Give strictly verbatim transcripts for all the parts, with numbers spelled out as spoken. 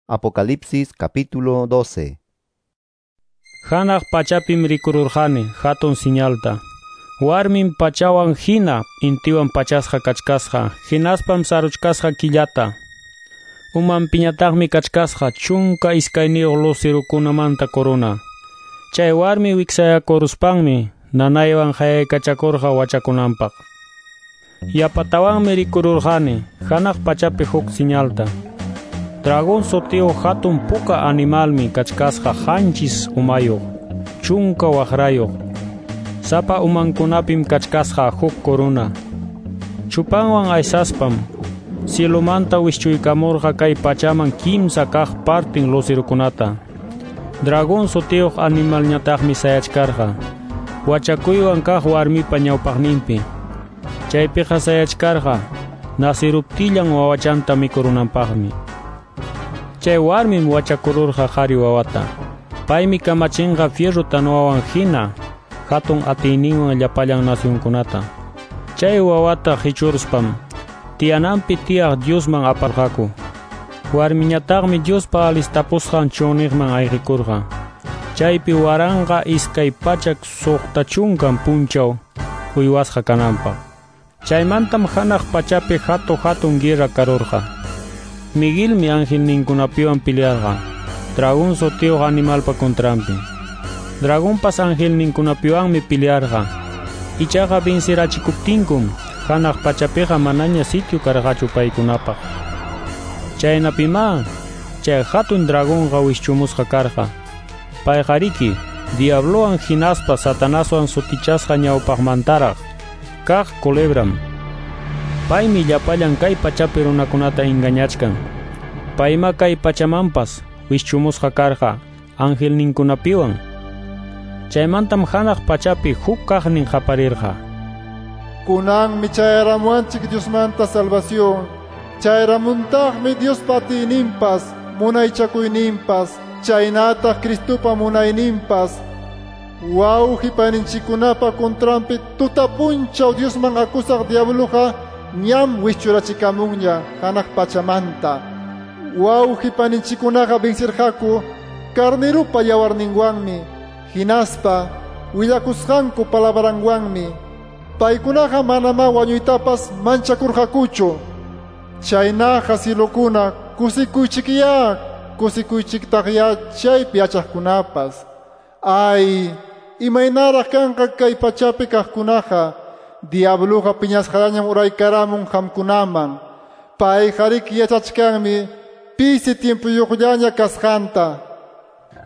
Apocalipsis capítulo doce. Hanaq pachapim rikururqani hatun siñalta. Warmin pachawan hina intiwan pachasqa kachkasqa, hinaspam saruchkasqa killata. Umanpiñataqmi kachkasqa chunka iskayniyuq lucerokunamanta corona. Chay warmi wiksayakuruspanmi nanaywan hayaykachakurqa wachakunanpaq. Yapatawanmi rikururqani hanaq pachapi huk siñalta. Dragón sutiyuq hatun puka animalmi kachkasqa qanchis umayuq, chunka waqrayuq. Sapa umankunapim kachkasqa huk corona. Chupanwan aysaspam cielomanta wischuykamurqa kay pachaman kimsa kaq partin lucerokunata. Dragón sutiyuq animalñataqmi sayachkarqa wachakuywan kaq warmipa ñawpaqninpi. Chaypiqa sayachkarqa nasiruptillan wawachanta mikurunanpaqmi. Chay warmim wachakururqa qhari wawata. Paymi kamachinqa fierro tanwawan hina hatun atiyninwan llapallan nacionkunata. Chay wawata qichuruspam tiyananpi tiyaq Diosman aparqaku. Warmiñataqmi Diospa alistapusqan chunniqman ayqikurqa. Chaypi waranqa iskay pachak suqta chunkan punchaw uywasqa kananpaq. Chaymantam hanaq pachapi hatu hatun guerra karurqa. Miguelmi angelninkunapiwan pelearqa dragón sutiyuq animalpa contranpi. Dragonpas angelninkunapiwanmi pelearqa. Ichaqa vencirachikuptinkum hanaq pachapiqa manaña sitio karqachu paykunapaq. Chaynapimá chay hatun dragonqa wischumusqa karqa. Payqariki diablowan hinaspa Satanaswan sutichasqa ñawpaqmantaraq kaq culebram. Paymi llapallan kay pachapi runakunata engañachkan. Payma kay pachamanpas wischumusqa karqa angelninkunapiwan. Chaymantam hanaq pachapi huk kaqnin qaparirqa. Kunanmi chayaramuwanchik Diosmanta salvación. Chayaramuntaqmi Diospa atiyninpas, munaychakuyninpas, chaynataq Cristopa munayninpas. Wawqipaninchikkunapa contranpi tutapunchaw Diosman akusaq diabloqa ñam wischurachikamunña hanaq pachamanta. Wawqipaninchikkunaqa vencirqaku carnerupa yawarninwanmi, hinaspa willakusqanku palabranwanmi. Paykunaqa manamá wañuytapas manchakurqakuchu. Chaynaqa cielokuna kusikuychikyá, kusikuychiktaqyá chaypi yachaqkunapas. Ay, imaynaraq kanqa kay pachapi kaqkunaqa. Diabluqa piñasqallañam uraykaramun qamkunaman. Payqariki yachachkanmi pisi tiempuyuqllaña kasqanta.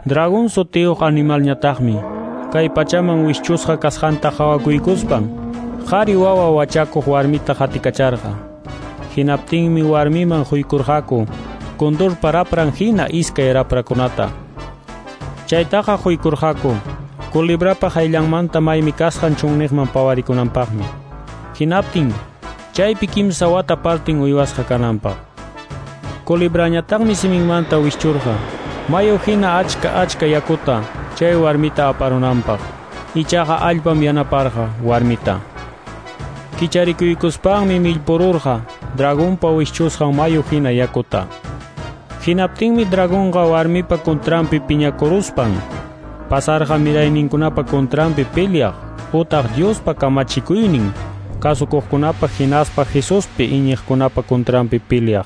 Dragón sutiyuq animalñataqmi kay pachaman wischusqa kasqanta qhawakuykuspan qhari wawa wachakuq warmita qatikacharqa. Hinaptinmi warmiman quykurqaku condorpa rapran hina iskay raprakunata. Chaytaqa quykurqaku culebrapa hayllanmanta maymi kasqan chunniqman pawarikunanpaqmi. Hinaptin chaypi kimsa wata partin uywasqa kananpaq. Culebrañataqmi siminmanta wischurqa mayu hina achka achka yakuta chay warmita aparunanpaq. Ichaqa allpam yanaparqa warmita. Kicharikuykuspanmi millpururqa dragonpa wischusqan mayu hina yakuta. Hinaptinmi dragonqa warmipa contranpi piñakuruspan pasarqa mirayninkunapa contranpi peleaq utaq Diospa kamachikuynin kasukuqkunapa hinaspa Jesuspi iñiqkunapa contranpi peleaq.